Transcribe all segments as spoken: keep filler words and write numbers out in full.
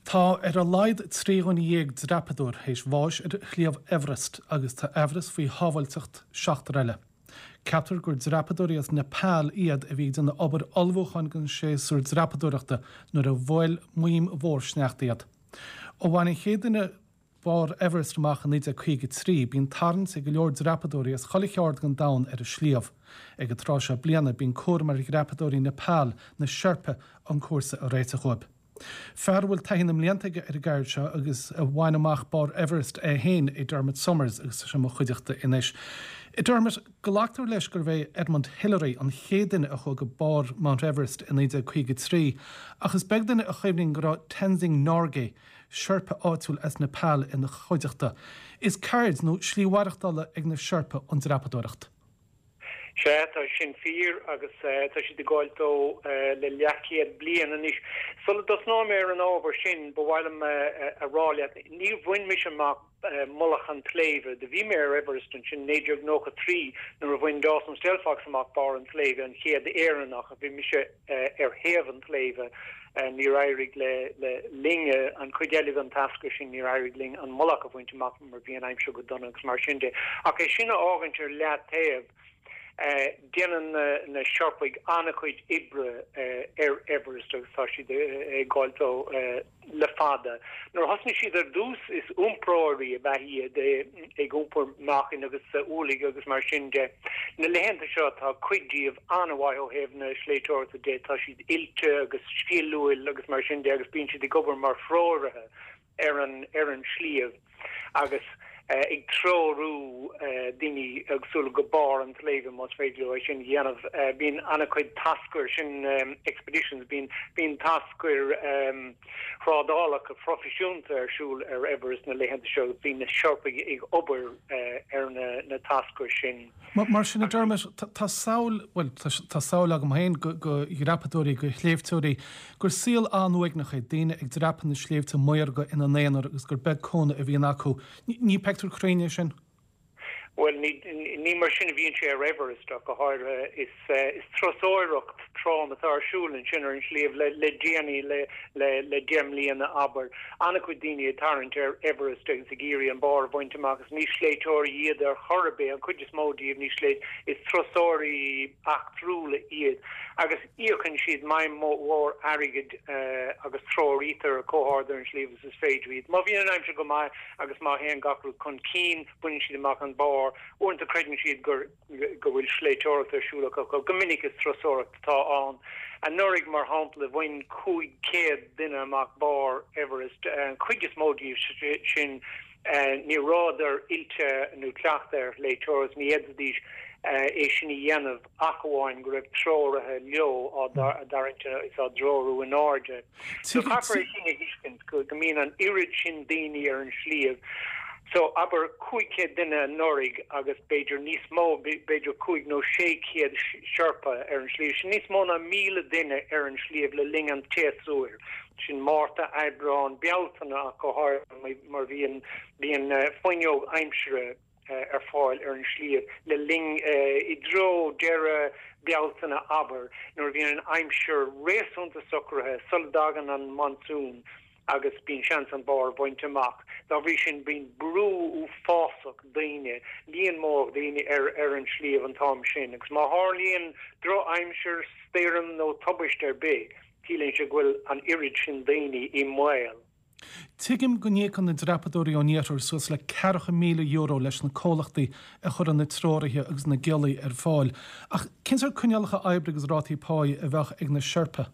Tá ar a laghad trí dhuine dhéag dreapadóir théis bháis ar Shliabh Everest agus tá amhras faoi shábháilteacht seachtar eile. Ceaptar gur dreapadóirí as Nepal iad a bhí ag déanamh obair ullmhúcháin don séasúr dreapadóireachta nuair a bhuail maidhm mhór sneachta iad. Ó bhain an chéad duine barr Everest amach in naoi déag caoga trí, bíonn tarraingt ag go leor dreapadóirí as chuile cheard den domhan ar an sliabh. Ag an tráth seo bliana bíonn cúram ar dhreapadóirí Nepal, na Sherpa, an cúrsa a réiteach dóibh. Fear a bhfuil taithí na mblianta aige ar an gceird seo agus a bhain amach barr Everest é féin é Dermot Somers agus tá sé i mo chuideachta anois. Dermot, glactar leis gurbh é Edmund Hillary an chéad duine a chuaigh go barr Mount Everest i naoi déag caoga trí, ach is beag duine a chuimhníonn go raibh Tenzing Norgay, Sherpa áitiúil as Nepal ina chuideachta. Is ceird nó slí mhaireachtála ag na Sherpa an dreapadóireacht. Sea, tá sin fíor agus tá siad ag gabháil dó le leathchéad bliain anois. Sula dtosnóidh mé ar an ábhar sin, ba mhaith liom a rá leat, níor bhain mise amach mullach an tsléibhe. Do bhí mé ar Everest ansin naoi déag nócha trí nuair a bhain Dawson Stelfox amach barr an tsléibhe, an chéad Éireannach. Bhí mise ar thaobh an tsléibhe. Níor éirigh le linn, an chuid eile den tascar sin, níor éirigh linn an mullach a bhaint amach mar bhí an aimsir go dona agus mar sin de. Ach é sin a fhágaint ar leataobh, Déanann na Seirpigh an-chuid oibre ar Everest agus tá siad ag gabháil dó le fada. Nuair a thosnaigh siad ar dtús is iompróirí ab ea iad, ag iompar meáchain agus ualaigh agus mar sin de. Na laethanta seo tá cuid díobh an-mhaith ó thaobh na sléibhteoireachta de, tá siad oilte agus sciliúil agus mar sin de agus bíonn siad ag obair mar threoraithe ar an ar an sliabh agus ag treorú daoine éagsúla go barr an tsléibhe más féidir leo é sin a dhéanamh. Bíonn an-chuid tascair, sin expeditions, bíonn bíonn tascair thrádálacha phroifisiúnta ar siúl ar Everest na laethanta seo agus bíonn na Seirpigh ag obair ar na na tascair sin. Mar sin a Dermot, tá samhail, bhuel tá samhail agam féin go dhreapadóirí, go shléibhteoirí, gur saol an-uaigneach é, daoine ag dreapadh na sléibhte maorga ina n-aonar agus gur beag cúnamh a bhíonn acu. Ní pictiúr cruinn é sin? Bhuel, ní mar sin a bhíonn sé ar Everest ach go háirithe. Is turasóireacht trom atá ar siúl ansin ar an sliabh le déanaí, le deich mbliana abair. An-chuid daoine ag tarraingt ar Everest agus ag iarraidh an barr a bhaint amach agus ní sléibhteoirí iad ar chor ar bith, an chuid is mó díobh ní sléibh, is turasóirí eachtrúla iad agus íocann siad maidhm mhór airgid agus treoraítear chomh hard ar an sliabh agus is féidir iad. Má bhíonn an aimsir go maith agus má théann gach rud chun cinn, baineann siad amach an barr. Uaireanta creideann siad gur go bhfuil sléibhteoireacht ar siúl acu. Go minic is turasóireacht atá ann. Anuraidh, mar shampla, bhain cúig chéad duine amach barr Everest. An chuid is mó díobh sin ní rabhadar oilte nó cleachta ar shléibhteoireacht, ní fhéadfaidís é sin a dhéanamh ach amháin go raibh treoraithe leo á dtarraingt is á dtreorú in airde. So caithfear é sin a thuiscint, go mbíonn an oiread sin daoine ar an sliabh. So abair cúig chéad duine anuraidh agus b'fhéidir níos mó, b'fhéidir cúig nó sé chéad Sherpa ar an sliabh. Sin níos mó ná míle duine ar an sliabh le linn an tséasúir. Sin Márta, Aibreán, Bealtaine ach go háirithe mar bhíonn, bíonn fuinneog aimsire ar fáil ar an sliabh le linn, i dtreo deireadh Bealtaine abair, nuair a bhíonn an aimsir réasúnta socraithe sula dtagann an monsún agus bíonn seans an barr a bhaint amach. Dá bhrí sin bíonn brú uafásach daoine, líon mór daoine ar ar an sliabh an t-am sin agus má tharlaíonn drochaimsir, stoirm nó tubaiste ar bith, ciallaíonn sé go bhfuil an oiread sin daoine i mbaol. Tuigim go n-íocann na dreapadóirí ón iarthar suas le ceathracha míle euro leis na comhlachtaí a chuireann na treoraithe agus na giollaí ar fáil. Ach cén sórt coinníollacha oibre agus rátaí páí a bheadh ag na Sherpa?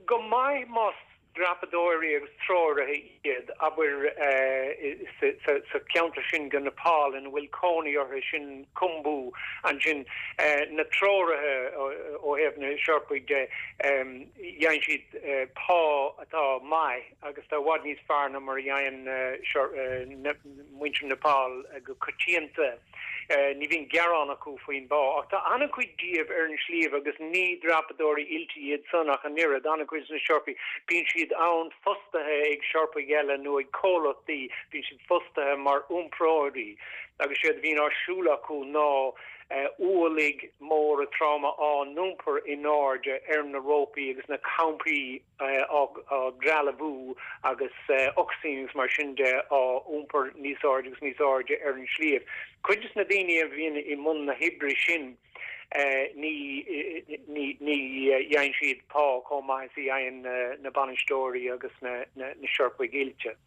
Go maith más dreapadóirí agus treoraithe iad, abair, sa cheantar sin de Nepal ina bhfuil cónaí orthu, sin Khumbu ansin, na treoraithe ó thaobh na Seirpigh de, gheibheann siad pá atá maith agus atá i bhfad níos fearr ná mar a gheibheann muintir Nepal go coitianta. Ní bhíonn gearán acu faoin bpá, ach tá an-chuid díobh ar an sliabh agus ní dreapadóirí oilte iad san ach an oiread, an-chuid de na Seirpigh, bíonn siad ann fostaithe ag Seirpigh eile nó ag comhlachtaí, bíonn siad fostaithe mar iompróirí agus séard a bhíonn ar siúl acu ná ualaigh móra troma á n-iompar in airde ar na rópaí agus na campaí á dtrealamhú agus ocsaigin agus mar sin de á iompar níos airde agus níos airde ar an sliabh. Cuid de na daoine a bhíonn i mbun na hoibre sin ní ní ní fhaigheann siad pá chomh maith is a fhaigheann na bainisteoirí agus na na Seirpigh oilte.